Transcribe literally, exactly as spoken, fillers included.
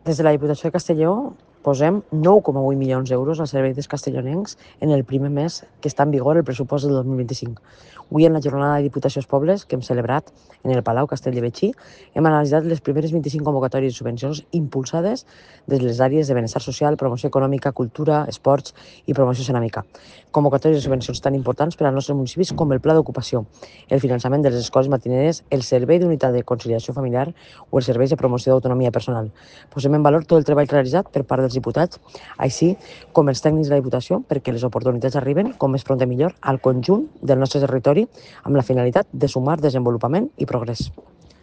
Des de la Diputació de Castelló posem nou coma vuit milions d'euros al servei dels castellonencs en el primer mes que està en vigor el pressupost del dos mil vint-i-cinc. Avui, en la jornada de Diputacions Pobles que hem celebrat en el Palau Castell de Betxí, hem analitzat les primeres vint-i-cinc convocatòries de subvencions impulsades des les àrees de benestar social, promoció econòmica, cultura, esports i promoció ceràmica. Convocatòries de subvencions tan importants per als nostres municipis com el Pla d'Ocupació, el finançament de les escoles matineres, el Servei d'Unitat de Conciliació Familiar o els serveis de promoció d'autonomia personal. Posem en valor tot el treball realitzat per part dels diputats, així com els tècnics de la Diputació, perquè les oportunitats arriben, com més pront millor, al conjunt del nostre territori amb la finalitat de sumar desenvolupament i progrés.